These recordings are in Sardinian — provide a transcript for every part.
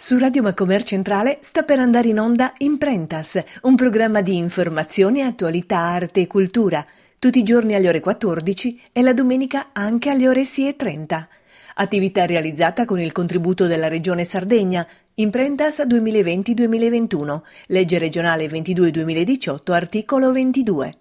Su Radio Macomer Centrale sta per andare in onda Imprentas, un programma di informazione, attualità, arte e cultura, tutti i giorni alle ore 14 e la domenica anche alle ore 6.30. Attività realizzata con il contributo della Regione Sardegna, Imprentas 2020-2021, legge regionale 22-2018, articolo 22.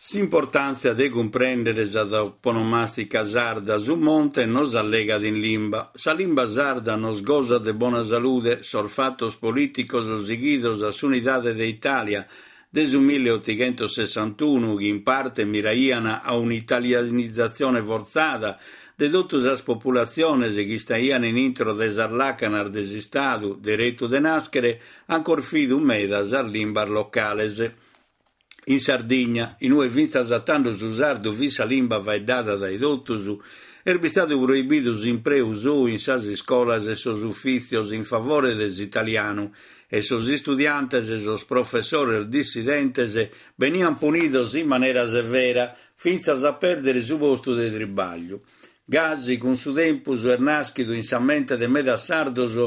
S'importàntzia de cumprèndere sa toponomàstica sarda, su monte nos allegat in limba. Sa limba sarda nos gosat de bona salude, sos fatos polìticos sighidos a s'unidade de Itàlia de su milleotighentosessantunu, chi in parte miraian a un'italianizatzione fortzada de totu sas populatziones chi istaian in intro de sas làcanas de s'Istadu, deretu de nàschere, an corfidu meda sas limbas locales. In Sardigna, in ue fintzas a tando su sardu fit sa limba faeddada dae totus, est bistadu proibidu s'impreu sou in sas iscolas e sos ufìtzios in favore de s'italianu e sos istudiantes e sos professores dissidentes beniant punidos in manera severa, fintzas a pèrdere su postu de tribagliu. Gasi, cun su tempus, est nàschidu in sa mente de medas sardos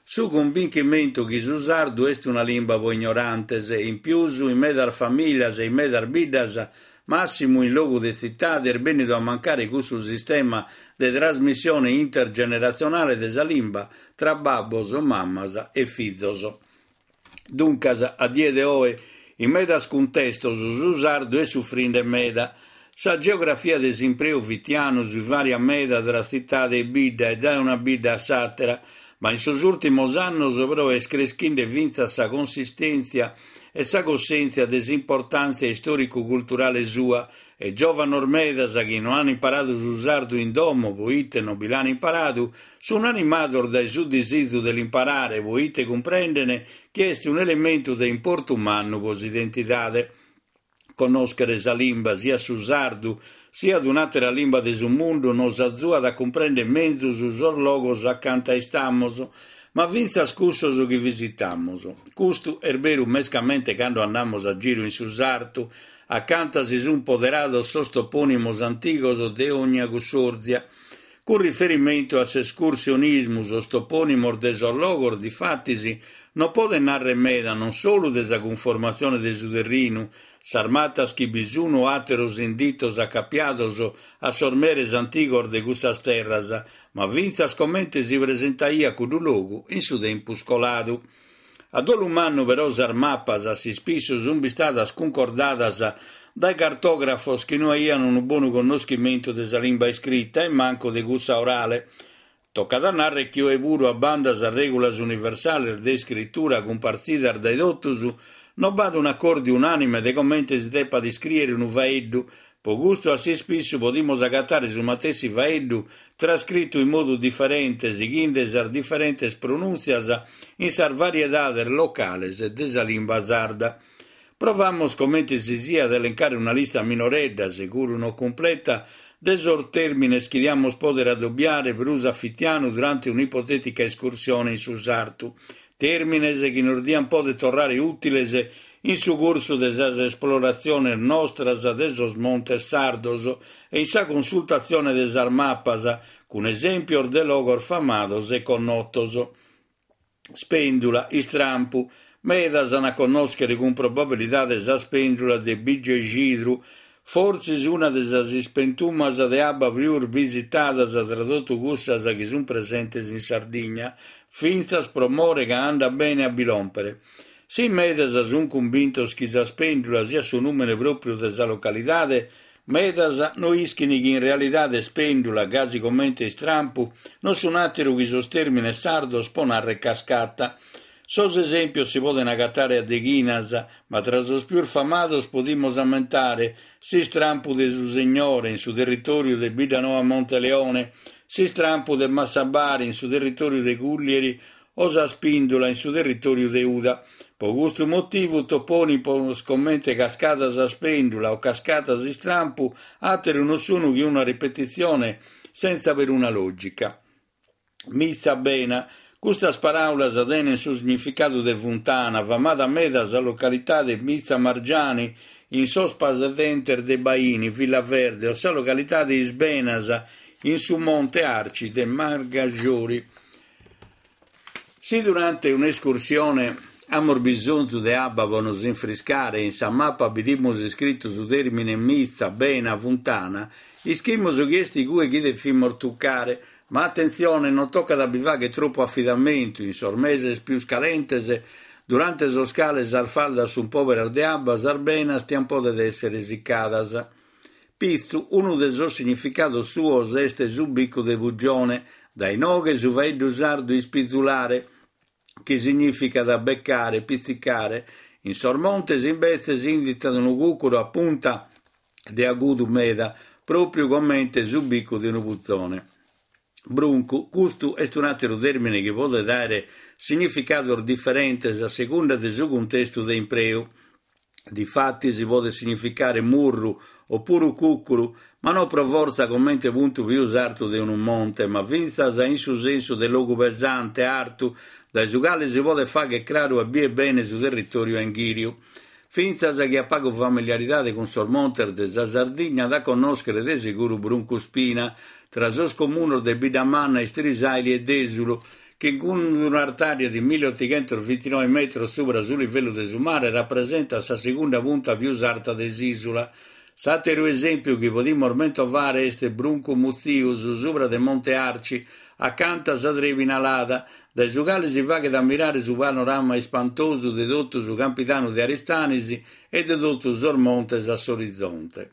su cumbinchimentu chi su sardu est una limba pro ignorantes e in pius in medas famìlias e in medas biddas, màssimu in logu de tzitade, est bènnidu a mancare cussu sistema de trasmissione intergeneratzionale de sa limba tra babbos, mamas e fizos. Duncas, a die de oe, in medas cuntestos su sardu est sufrinde meda. Sa geografia de s'impreu fitianu si vàriat meda tra tzitade e bidda e dae una bidda a s'àtera, ma in sos ùrtimos annos però est creschinde fintzas sa consistèntzia e sa cussèntzia de s'importàntzia istòricu-culturale sua E giòvanos medas chi no an imparadu su sardu in domo poite non bi l'an imparadu, sun animados dae su disizu de l'imparare poite cumprenden chi est un'elementu de importu mannu pro s'identidade. Connòschere sa limba, siat su sardu, siat un'àtera limba de su mundu, nos azuat a cumprèndere menzus sos logos acanta istamus, ma fintzas cussos chi visitamus. Custu est beru mescamente cando andamus a giru in su sartu, Acanta si sunt poderados sos topònimos antigos de ogna cussorzia. Cun riferimentu a s'escursionismu, sos topònimos de sos logos, difatis, non podent nàrrere meda non solu de sa cunformatzione de su terrinu, sas matas chi bi sun o àteros inditos acapiados a sos meres antigos de cussas terras, ma fintzas comente si presentaiat cuddu logu in su tempus coladu. A dolu mannu però sas mapas a s'ispissu sunt bistadas cuncordadas dae cartògrafos chi no aian unu bonu connoschimentu de sa limba iscrita e mancu de cussa orale. Tocat a nàrrere chi oe puru a banda sas règulas universales de iscritura cumpartzidas dae totus, no b'at un'acòrdiu unànime de comente si depat iscrìere unu faeddu Pro custu a s'ispissu podimus agatare su matessi faeddu trascritu in modu diferente sighende sas diferentes pronùntzias in sas variedades locales de sa limba sarda. Provamus comente si siat a elencare una lista minoredda, seguru no cumpleta, de sos tèrmines chi diamus pòdere adobiare prus a fitianu durante un'ipotètica escursione in su sartu, Tèrmines chi nos diant pòdere torrare ùtiles in su cursu de sas esploratziones nostras de sos montes sardos e in sa consultatzione de sas mapas, cun esèmpios de logos famados e connotos. Spèndula, istrampu. Medas ant a connòschere cun probabilidade sa spèndula de Bigexidru, fortzis una de sas ispentumas de abba prus visitadas tra totu cussas chi sunt presentes in Sardigna, fintzas pro more ca andat bene a bi lòmpere. Si in medas sunt cumbintos chi sa spèndula siat su nùmene pròpriu de sa localidade, medas no ischint chi in realidade spèndula, gasi comente istrampu, non sunt àteru chi sos tèrmines sardos pro nàrrere cascata. Sos esèmpios si podent agatare a deghinas, ma tra sos pius famados podimus ammentare s'istrampu de su Segnore in su territòriu de Biddanoa Monteleone, s'istrampu de Massabari in su territòriu de Cùllieri o sa Spìndula in su territòriu de Uda. Pro custu motivu topònimos comente Cascada sa Spèndula o Cascata s'Istrampu àteru non sunt chi una ripetitzione sentza peruna lògica. Mitza Bena. Custas paràulas tenent su significadu de funtana, famada meda sa localidade Mitza Margiani in sos padentes de Bàini, Villaverde, o sa localidade Is Benas in su Monte Arci de Margajori. Si durante un'escursione amus bisonzu de abba pro nos infriscare e in sa mapa bidimus iscritu su tèrmine mitza, bena, funtana, ischimus chi est igue chi devimus tucare. Ma atentzione, non tocat a bi fàghere tropu afidamentu, in sos meses pius calentes, durante sos cales sas faldas sunt pòberas de abba, sas benas tiant pòdere èssere sicadas. Pitzu, unu de sos significados suos est su bicu de pugione, dae inoghe su faeddu sardu ispizulare, chi signìficat becare, pitzicare. In sos montes imbetzes inditat unu cùcuru a punta de agudu meda, pròpiu comente su bicu de unu puzone. Bruncu, custu est un'àteru tèrmine chi podet àere significados diferentes a segunda de su cuntestu de impreu. Difatis podet significare murru o puru cùcuru, ma no pro fortza comente puntu pius artu de unu monte, ma fintzas in su sensu de logu pesante, artu, dae su cale si podet fagher craru e bier bene su territòriu a inghìriu. Fintzas chie at pagu familiaridade cun sos montes de sa Sardigna at a connòschere de seguru Bruncu Spina, tra sos comunos de Biddamanna, Istrisàili e Dèsulu, chi cun un'artària de milliottighentosvintinoe metros subra su livellu de su mare rapresentat sa segunda punta pius arta de s'ìsula. S'àteru esèmpiu chi podimus mentovare est Bruncu Mutzius, subra de Monte Arci, acanta sa Trèmina Lada, dae su cale si faghet ammirare su panorama ispantosu de totu su Campidanu de Aristanis e de totu sos montes a s'orizonte.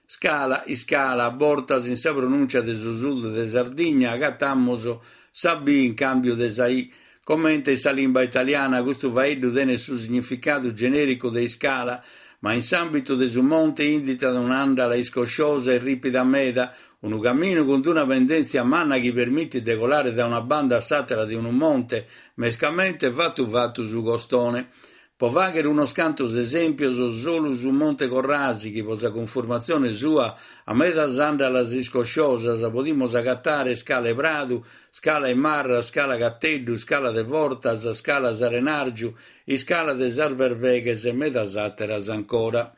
Scala, iscala, a bortas in sa pronùncia de su sud de Sardigna agatamus sa B in càmbiu de sa I. Comente in sa limba italiana custu faeddu tenet su significadu genèricu de iscala, ma in s'àmbitu de su monte inditat un'àndala iscosciosa e rìpida meda, Unu caminu cun una pendèntzia manna chi permitit de colare dae una banda a s'àtera de unu monte, mescamente fatu fatu su costone. Pro fàghere unos cantos esèmpios, solu su Monte Corrasi, chi pro sa cunformatzione sua at medas àndalas iscosciosas, podimus agatare Scala 'e Pradu, Scala 'e Marras, Scala Cateddu, Scala de Fortas, Scala S'Arenàrgiu, Iscala de sas Berveghes e medas àteras ancora.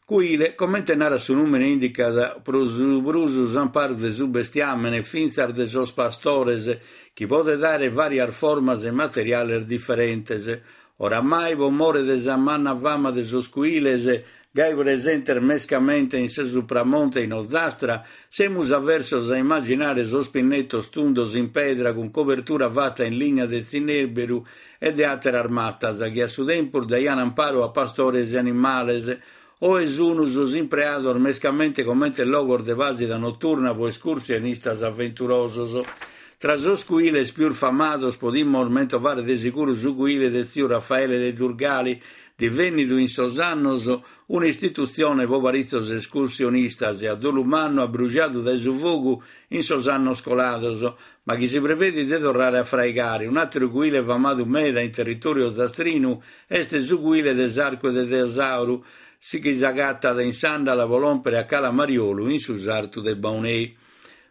Cuile, comente narat su nùmene indicat pro su prus s'amparu de su bestiàmene fintzas de sos pastores, chi podet àere vàrias formas e materiales diferentes. Oramai, pro more de sa manna fama de sos cuiles, gai presentes mescamente in su Supramonte e in Ozastra, semus aversos a immaginare sos pinnetos tundos in pedra cun cobertura fata in ligna de tzinèberu e de àteras matas chi a su tempus daian amparu a pastores e animales, oe sun sos impreados mescamente comente logos de pàsida noturna pro escursionistas aventurosos. Tra sos cuiles pius famados podimus mentovare de seguru su cuile de tziu Raffaele de Durgali, divènnidu in sos annos un'istitutzione pro paritzos escursionistas e a dolu mannu abrujadu dae su fogu in sos annos colados, ma chi si prevedit de torrare a fraigare. Un'àteru cuile famadu meda in territòriu ozastrinu est su cuile de s'Arcu de Tesauru, chi s'agatat in s'àndala pro lòmpere a Cala Mariolu in su sartu de Baunei.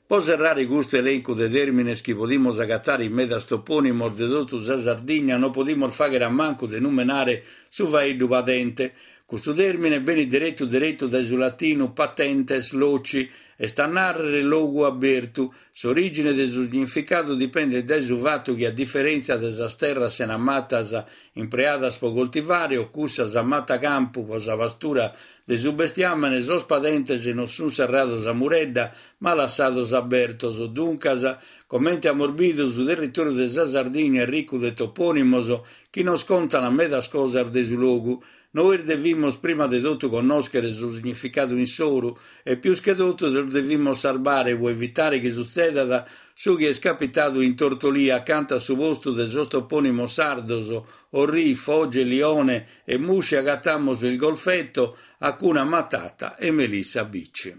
Pro serrare custu elencu de tèrmines chi podimus agatare in medas topònimos de totu sa Sardigna non podimus fàghere a mancu de numenare su faeddu padente. Custu tèrmine benit deretu deretu dae su latinu patentes loci, est a nàrrere logu abertu, S'orìgine de su significadu dipendet dae su fatu chi a diferèntzia de sas terras sena matas impreadas pro coltivare o cussas a mata campu pro sa pastura de su bestiàmene, sos padentes non sunt serrados a muredda ma lassados abertos. Duncas, comente amus bidu, su territòriu de sa Sardigna est ricu de topònimos chi nos contant medas cosas de su logu. Nois devimus prima de totu connòschere su significadu insoru e pius che totu los devimus sarbare pro evitare chi sutzedat su chi est capitadu in Tortolì acanta a su postu de sos topònimos sardos Orrì, Foge, Lione e Musci agatamus il Golfetto, Hakuna Matata e Melissa Beach.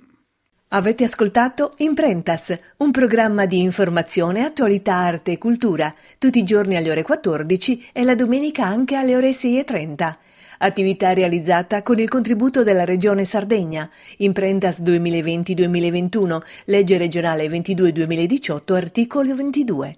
Avete ascoltato Imprentas, un programma di informazione, attualità, arte e cultura, tutti i giorni alle ore 14 e la domenica anche alle ore 6.30. Attività realizzata con il contributo della Regione Sardegna. Imprentas 2020-2021, legge regionale 22-2018, articolo 22.